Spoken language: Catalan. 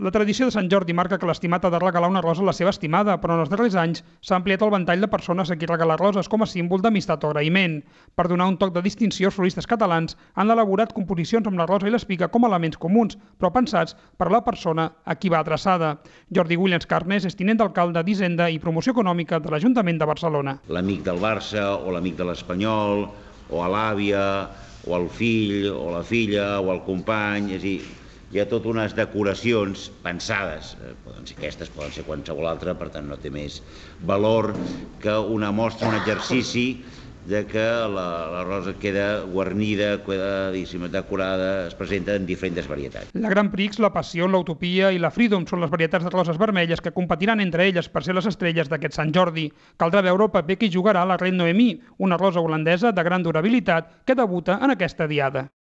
La tradició de Sant Jordi marca que l'estimat ha de regalar una rosa a la seva estimada, però en els darrers anys s'ha ampliat el ventall de persones a qui regalar roses com a símbol d'amistat o agraïment. Per donar un toc de distinció, els floristes catalans han elaborat composicions amb la rosa i l'espiga com a elements comuns, però pensats per a la persona a qui va adreçada. Jordi Williams Carnes és tinent d'alcalde d'Hisenda i Promoció Econòmica de l'Ajuntament de Barcelona. L'amic del Barça o l'amic de l'Espanyol, o a l'àvia, o al fill, o la filla, o al company, és a dir, hi ha tot unes decoracions pensades, poden ser aquestes, poden ser qualsevol altra, per tant no té més valor que una mostra, un exercici de que la rosa queda guarnida, queda decorada, es presenta en diferents varietats. La Grand Prix, la Passió, l'Utopia i la Freedom són les varietats de roses vermelles que competiran entre elles per ser les estrelles d'aquest Sant Jordi. Caldrà veure el paper que hi jugarà la Reine Noemí, una rosa holandesa de gran durabilitat que debuta en aquesta diada.